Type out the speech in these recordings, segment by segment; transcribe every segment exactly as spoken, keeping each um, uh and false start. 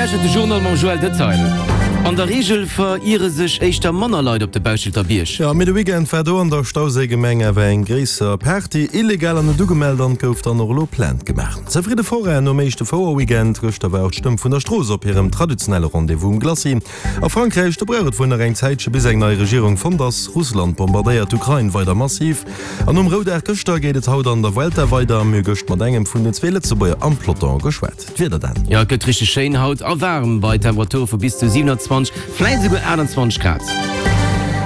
lauschtert de Journal mam Joël Detail. An der Reegel veriere sech éischter manner Leit op de Bauschelter Bierg. Jo, mee de Weekend war do an der Stauséigemeng awer eng gréisser Party. Illegal an net ugemellt an et gouf dann och elo Plainte gemaach. Zefridde Forainen nom éischte Fouer-Weekend. Gëschter war och d'Stëmm vun der Strooss op hirem traditionelle Rendez-vous um Glacis. A Frankräich, do brauch et wuel nach eng Zäitche bis eng nei Regierung fonnt ass. Russland bombardéiert d'Ukrain weider massiv. An nom Roudag gëschter geet et haut an der Vuelta weider. Mir hu gëscht mat engem vun den zwee Lëtzebuerger am Peloton geschwat. D'Wieder dann. Jo, et gëtt richteg schéin haut a waarm bei Temperature vu bis zu siewenundzwanzeg, vläit esouguer aachtundzwanzeg Grad.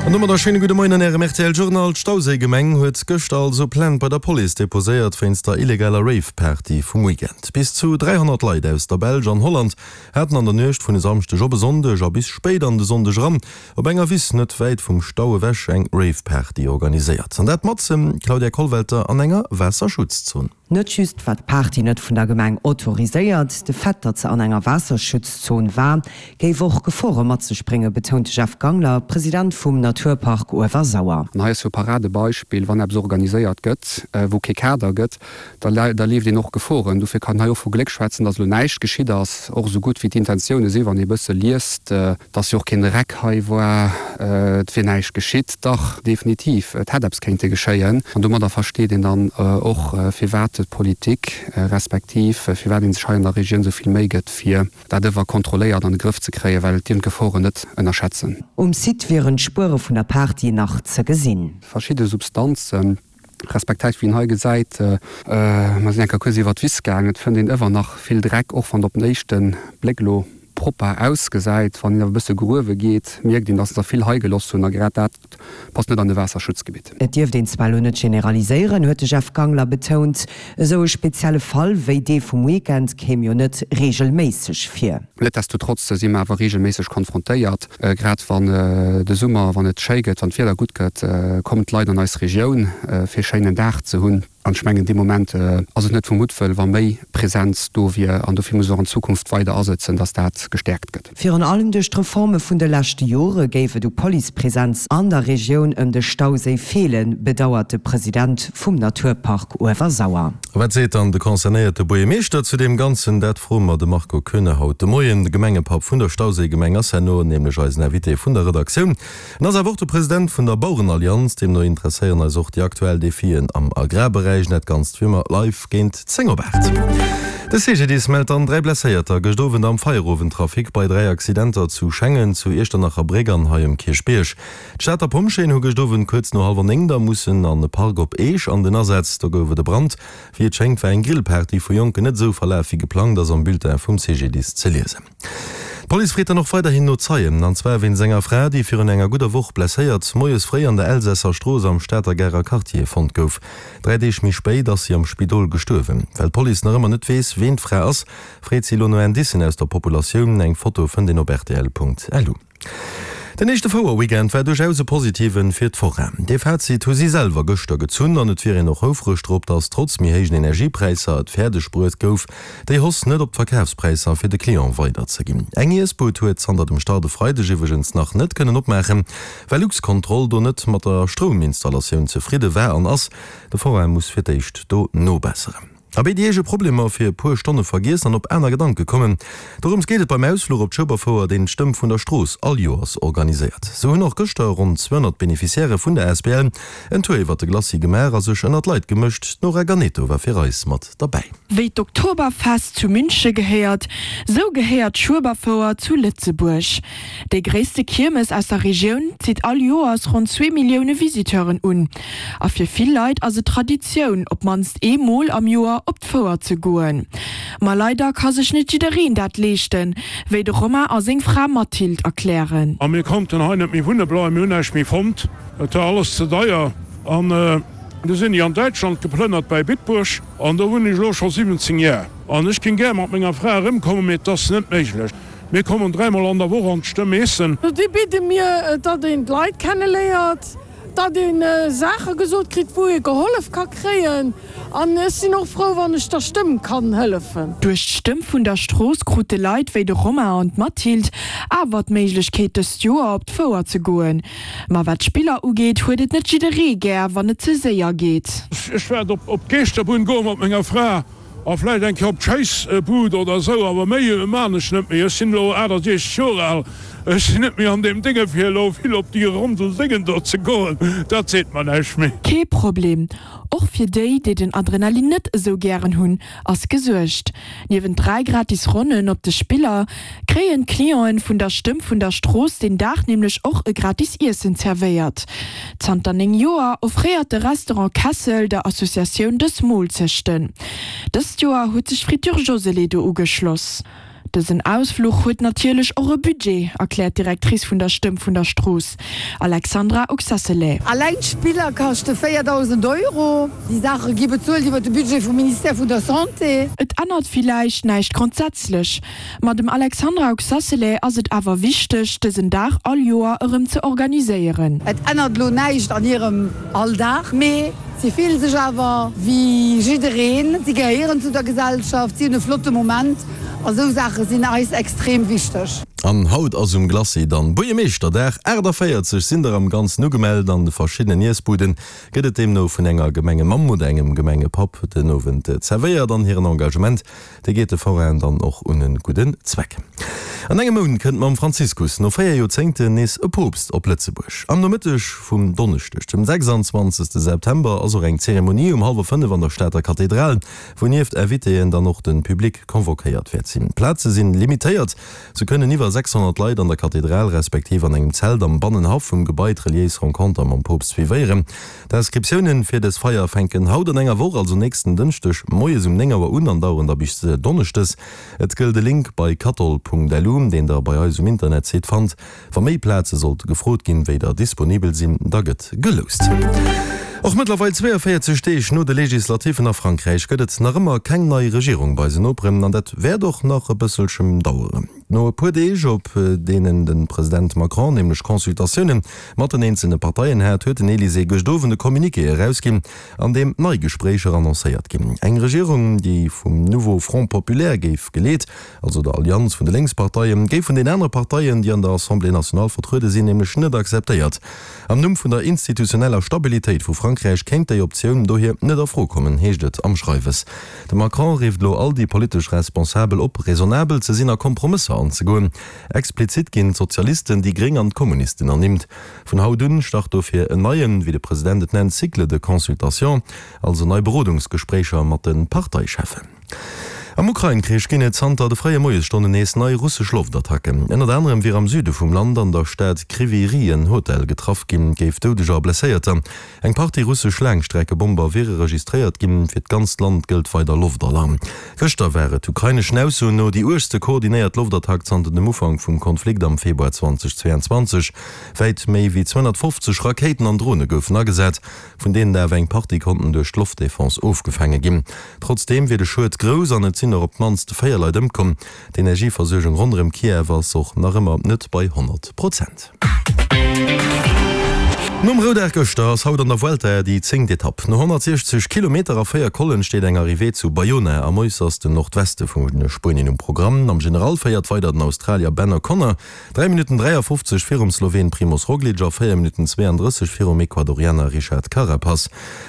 An domat e schéine gudde Moien an Ärem R T L Journal. D'Stauséigemeng huet gëschter also Plainte bei der Police deposéiert wéinst der illegaler Rave-Party vum Weekend. Bis zu dräihonnert Leit aus der Belsch an Holland haten an der Nuecht vun e Samschdeg op e Sonndeg a bis spéit an de Sonndeg eran op enger Wiss net wäit vum Stau ewech eng Rave-Party organiséiert. An dat matzen, Claudia Kollwelter, an enger Waasserschutzzon. Net just war d'Party net vun der Gemeng autoriséiert, de Fait, datt se an enger Waasserschutzzon war, géif och Gefore mat sech bréngen, betount de Jeff Gangler, President vum Naturpark Uewersauer. An hei ass jo e Paradebeispill, wann eppes organiséiert gëtt, wou kee Kader gëtt, da da leeft een och Geforen. Dofir kann een hei och vu Gléck schwätzen, datt elo näischt geschitt ass, och esou gutt wéi d'Intentioune sinn, wann ee e bësse liest, datt jo och keen Dreck hei war, et wier näischt geschitt. Dach, definitiv, et hätt eppes kéinte geschéien. An domadder versteet een dann och, firwat d'Politik, respektiv firwat ee sech hei an der Regioun esou vill Méi gëtt, fir dat ëwer kontrolléiert an de Grëff ze kréien, well et dierf een d'Geforen net ënnerschätzen. Um Site wieren d'Spuere vun der Party nach ze gesinn. Verschidde Substanzen, respektiv wéi een hei gesäit, mer sinn eng Kéier kuerz iwwer d'Wiss gaangen, et fënnt een ëwer nach vill Dreck, och wann et op den éischte Bléck elo propper ausgesäit. Wann een awer e bësse gruewe geet, mierkt een, dass se der vill hei geloss hunn a grad dat passt net an e Waasserschutzgebitt. Et dierft een zwar elo net generaliséieren, huet de Jeff Gangler betount. Esou e spezielle Fall wéi dee vum Weekend kéim jo net reegelméisseg vir. Netdestotrotz si mer awer reegelméisseg konfrontéiert. Grad wann de Summer, wann et schéi gëtt, wann d'Wieder gutt gëtt, kommen d'Leit an eis Regioun, fir e schéinen Dag ze hunn. An ech mengen, dee Moment ass et net vu Muttwëll, wa méi Präsenz do wier. An dofir muss och an Zukunft weider asëtzen, dass dat gestäerkt gëtt. Virun allem duerch d'Reforme vun de leschte Jore géif et u Policepresenz an der Regioun ëm de Stauséi feelen, bedauert de President vum Naturpark Uewersauer. A wat seet dann de concernéierte Buergermeeschter zu deem Ganzen? Dat froe mer de Marco Koeune haut de Moien. De Gemengepapp vun der Stauséigemeng ass herno nämlech eisen Invité vun der Redaktioun. En ass awer och de President vun der Bauerenallianz. Deemno interesséieren eis och déi aktuell Defien am Agrarberäich. Dat Ganzt wéi ëmmer live géint zéng op aacht. De C G D I S mellt dann dräi Blesséierter gëscht Owend am Feierowendtrafic bei dräi Accidenter zu Schengen, zu Iechternacherbréck an hei um Kierchbierg. D'Stater Pompjeeën hu gëscht Owend kuerz no hallwer néng da mussen an e Park op Eech an den Asaz. Do gouf et e Brand. Wéi et schéngt war eng Grillparty vu Jonken net esou verlaf wéi geplangt, ass am Bulletin vum C G D I S ze liesen. D'Police freet dann och weiderhin no Zeien, an zwar wéinst enger Fra, déi virun enger gudder Woch blesséiert moies fréi an der Elsässer Strooss am Stater Garer Quartier fonnt gouf. Dräi Deeg méi spéit ass si am Spidol gestuerwen. Well d'Police nach ëmmer net weess, ween d'Fra ass, freet si elo no Indicen aus der Populatioun. Eng Foto fënnt een op rtl Punkt L U. Den éischte Fouer-Weekend war duerchaus e positiven fir d'Forainen. Dee Fazit hu si selwer gëschter gezunn an et wier een och houfreg drop, datt trotz méi héijen Energiepräisser et fäerdeg bruet gouf, déi Hausse net op d'Verkafspräisser fir de Client weiderzeginn. Eng Iessbud huet zanter dem Start e Freideg iwwregens nach net kënnen opmaachen, well Luxcontrol do net mat der Strouminstallatioun zefridde war an ass. De Forain muss fir d'éischt do nobesseren. Abee, déi eege Problemer fir e puer Stonne vergiessen an op aner Gedanke kommen. Dorëms geet et beim Ausfluch op d'Schueberfouer, deen d'Stëmm vun der Strooss all Joers organiséiert. Sou hunn och gëschter ronn zweehonnert Beneficiairë vun der A S B L en Tour iwwer de Glacis gemaach a sech ënnert d'Leit gemëscht. D'Nora Ganeto war fir eis mat derbäi. Wéi d'Oktoberfest zu Münche gehéiert, sou gehéiert d'Schueberfouer zu Lëtzebuerg. Déi gréisste Kiermes aus der Regioun zitt all Joers ronn zwee Millioune Visiteuren un. A fir vill Leit ass et Traditioun, op d'mannst eemol am Joer op d'Fouer ze goen. Ma leider ka sech net jiddereen dat leeschten, wéi de Romain a seng Fra Mathilde erklären. A mir konnten hei net méi wunne bleiwen, mir hunn näischt méi fonnt, et war alles ze deier. An du sinn ech an Däitschland geplënnert bäi Bitburg an do wunnen ech elo scho siwwenzéng Jar. An ech géing gär mat menger Fra erëmkommen, mee et ass net méiglech. Mir kommen dräimol an der Woch an d'Stëmm eessen. Déi bidde mir, datt een d'Leit kenneléiert, datt ee Saache gesot kritt, wou ee gehollef ka kréien. An ech sinn och frou, wann ech der Stëmm kann hëllefen. Duerch d'Stëmm vun der Strooss krute Leit wéi de Romain an d'Mathilde awer d'Méiglechkeet, dëst Joer op d'Fouer ze goen. Ma wat d'Spiller ugeet, huet et net jidderee gär, wann et ze séier geet. Ech wäert op d'Geeschterbunn goe mat menger Fra. A vläicht eng Kéier op d'Schéissbud oder esou, awer méi maan ech net méi. Ech sinn elo aachtasechzeg Joer al, ech sinn net méi an deem Dénge fir elo vill op déi Rondel Déngen do ze goen, dat seet mer näischt méi. Kee Problem, och fir déi, déi den Adrenalin net esou gären hunn, ass gesuergt. Niewent dräi gratis Ronnen op de Spiller, kréien d'Clienten vun der Stëmm vun der Strooss deen Dag nämlech och e gratis Iessen zerwéiert. Zanter néng Joer offréiert de Restaurant Kessel der Associatioun dës Moolzechten. Dëst Joer huet sech d'Friture Josélé do ugeschloss. Dësen Ausfluch huet natierlech och e Budget, erkläert d'Directrice vun der Stëmm vun der Strooss, Alexandra Oxacelay. Alleng d'Spiller kaschte véierdausend Euro. Déi Saache gi bezuelt iwwer de Budget vum Ministère vun der Santé. Et ännert villäicht näischt grondsätzlech, ma dem Alexandra Oxacelay ass et awer wichteg, dësen Dag all Joer erëm ze organiséieren. Et ännert elo näischt an hirem Alldag, mee si fillen sech awer wéi jiddereen. Si gehéieren zu der Gesellschaft, si hunn e flotte Moment a sou Saache sinn eis extrem wichteg. An haut ass um Glacis dann Buergermeeschterdag. achtaféierzeg sinn der am Ganzen ugemellt. An de verschiddenen Iessbuden gëtt et deemno vun enger Gemengemamm oder engem Gemengepapp den Owend zerwéiert. An hiren Engagement, dee geet de Forainen dann och un e gudden Zweck. An engem Mount kënnt mam Franziskus no véier Joerzéngten nees e Poopst op Lëtzebuerg. Am Nomëtteg vum Donneschdeg, dem sechsanzwanzegste September, ass och eng Zeremonie um hallwer fënnef an der Stater Kathedral, wou nieft Invitéen dann och de Public convoquéiert wäert sinn. D'Plaze sinn limitéiert, sou kënnen iwwer sechshonnert Leit an der Kathedral respektiv an engem Zelt am Bannenhaff vum Gebai d'reliéis Renconter mam Poopst suivéieren. D'Inscriptiounen fir dës Feier fänken haut an enger Woch, also nächsten Dënschdeg moies um néng Auer un an daueren da bis Donneschdes. Et gëllt e Link bei kathol.lu, deen der bei eis um Internetsite fannt. Wa méi Plaze sollte gefrot ginn, wéi der disponibel sinn, da gëtt geloust. Och mëttlerweil zweeënvéierzeg Deeg no de Legislativen a Frankräich gëtt et nach ëmmer keng nei Regierung bei eisen Noperen an dat wäert och nach e bësselchen daueren. No e puer Deeg, op deenen de President Macron nämlech Consultatioune mat den eenzelne Parteien hat, huet den Elysée gëscht Owend e Communiqué erausginn, an deem nei Gespréicher annoncéiert ginn. Eng Regierung, déi vum Nouveau Front Populaire géif geleet, also der Allianz vun de Lénksparteien, géif vun den anere Parteien, déi an der Assemblée nationale vertruede sinn, nämlech net akzeptéiert. Am Numm vun der institutioneller Stabilitéit vu Frankräich kéint déi Optioun dohier net a Fro kommen, heescht et am Schreiwes. De Macron rifft elo all déi politesch Responsabel op, raisonnabel ze sinn a Kompromësser anzegoen. Explizit ginn d'Sozialisten, déi Gréng an d'Kommunisten ernimmt. Vun haut un start dofir en neien, wéi de President et nennt, Cycle de consultation, also nei Berodungsgespréicher mat de Parteicheffen. Am Ukrain-Krich ginn et zanter de fréie Moiesstonnen nees nei russesch Loftattacken. Ënnert anerem wier am Süde vum Land an der Stad Kryvyi Rih en Hotel getraff ginn, géif Doudeger a Blesséierter. Eng Partie russesch Laangstreckebomber wiere registréiert ginn. Fir d'ganzt Land gëllt weider Loftalarm. Gëschter war et ukraineschen Aussoen no déi uergste koordinéiert Loftattack zanter dem Ufank vum Konflikt am Februar zweitausendzweiundzwanzeg. Wäit méi wéi zweihonnertfofzeg Rakéiten an Drone goufen agesat, vun deenen der awer eng Partie konnten duerch d'Loftdefense ofgefaange ginn. Trotzdeem wier de Schued grouss an et sinn och op d'mannst véier Leit ëmkomm. D'Energieversuergung ronderëm Kiew ass och nach ëmmer net bei honnert Prozent. Nom Roudag gëschter ass haut an der Vuelta déi zéngt Etapp. No honnertsiechzeg Kilometer a véier Collen steet eng Arrivée zu Bayona am äussersten Nordweste vu Spuenien um Programm. Am General féiert weider den Australier Ben O'Connor, dräi Minutten dräiafofzeg virum Sloween Primoz Roglic a véier Minutten zweeandrësseg virum Ecuadorianer Richard Carapaz.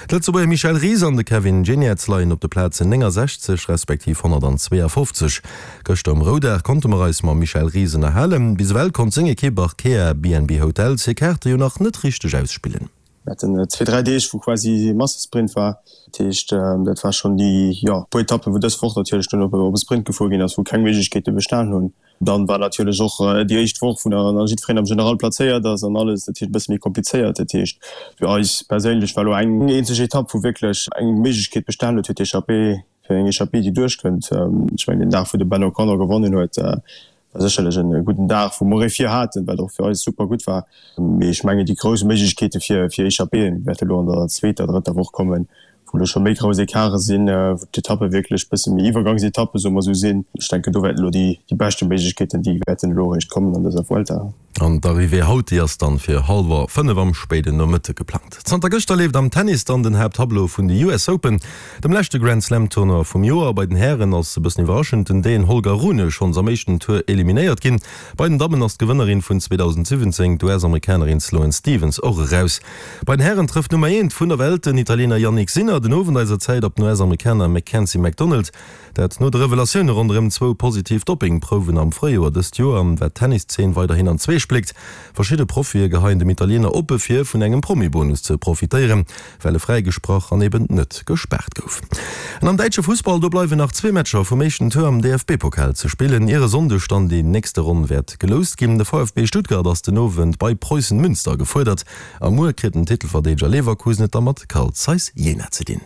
D'Lëtzebuerger Michel Ries an de Kevin Geniets leien op de Plazen néngasechzeg respektiv honnertanzweeafofzeg. Gëschter um Roudag konnte mer eis mam Michel Ries ënnerhalen. Bis ewell konnt seng Ekipp Arkea B&B Hotels hir Kaarte jo nach net richteg ausspillen. Mir haten zwee, dräi Deeg, wou quasi Massesprint war. Dat heescht, dat war schonn déi, jo, puer Etappen, wou dës Woch natierlech dunn op e Sprint gefuer ginn ass, wou keng Méiglechkeete bestan hunn. Dann war natierlech och déi éischt Woch, wou dann jiddwereen am General plazéiert ass an alles, dat heescht e bësse méi komplizéiert. Dat heescht, fir eis perséinlech war elo eng eenzeg Etapp, wou wierklech eng Méiglechkeet bestan huet fir d'Echappée, fir eng Echappée, déi duerchkënnt. Ech mengen, den Dag, wou de Ben O'Connor gewonnen huet, war sécherlech e gudden Dag, wou mer ee vir haten, wat och fir eis super gutt war. Mee ech mengen, déi grouss Méiglechkeete fir fir Echappéeën wäerte elo an der zweeter, drëtter Woch kommen, wou elo scho méi grouss Ecarte sinn, wou d'Etappe wierklech bësse méi Iwwergangsetappe, soe mer esou, sinn. Ech denken, do wäerten elo déi déi beschte Méiglechkeeten, déi wäerten elo eréischt kommen an dëser Vuelta. An d'Arrivée haut, déi ass dann fir hallwer fënnef am spéiden Nomëtte geplangt. Zanter gëschter leeft am Tennis dann den Haapttableau vun de U S Open, dem leschte Grand Slam Tournoi vum Joer. Bei den Hären ass, e bëssen iwwerraschend, den Dän Holger Rune schonns am éischten Tour eliminéiert ginn. Bei den Dammen ass d'Gewënnerin vun zweedausendsiwwenzéng, d'U S-Amerikanerin Sloane Stephens, och eraus. Bei den Hären trëfft d'Nummer eent vun der Welt, den Italiener Jannik Sinner, den Owend eiser Zäit op den US-Amerikaner Mackenzie McDonald. Dat no de Revelatioune ronderëm zwou positiv Doppingprouwen am Fréijoer dëst Joer, wat d'Tenniszeen weiderhin an zwee spléckt. Verschidde Profie geheien dem Italiener oppe vir, vun engem Promi-Bonus ze profitéieren, well e fräigesprach an eben net gespaart gouf. An am däitsche Fussball, do bleiwen nach zwee Matcher vum éischten Tour am D F B-Pokal ze spillen, ier e Sonndeg dann déi nächste Ronn wäert geloust ginn. De V F B Stuttgart ass den Owend bei Preußen Münster gefuerdert a muer kritt den Titelverdeedeger Leverkusen et da mat Carl Zeiss Jena ze dinn.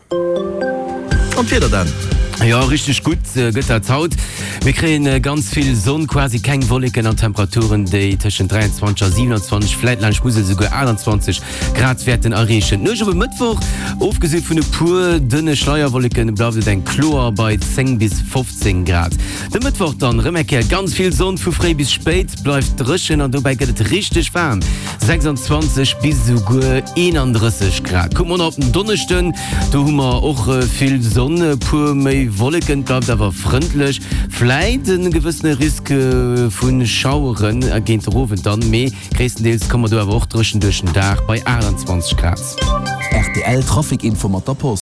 An d'Wieder dann? Jo, richteg gutt gëtt dat haut. Mir kréien ganz vill Sonn, quasi keng Wolleken an Temperaturen, déi tëschent dräianzwanzeg a siewenundzwanzeg, vläit laanscht Musel souguer aachtanzwanzeg Grad wäerten erreechen. D'Nuecht op e Mëttwoch, ofgesi vun e puer dënne Schleierwolleken, bleift et eng kloer bei zéng bis fofzéng Grad. De Mëttwoch dann erëm eng Kéier ganz vill Sonn, vu fréi bis spéit bleift dréchen an dobäi gëtt et richteg waarm, sechsandzwanzeg bis esouguer eenandrësseg Grad. Kucke mer nach op den Donneschden, do hu mer och vill Sonn, e puer méi Wolleken, et bleift awer frëndlech, vläit e gewëssene Risk vu Schaueren géint de Owend dann, mee gréisstendeels komme mer do awer och dréchen duerch den Dag bei aachtanzwanzeg Grad. R T L Trafic Info mat der Post.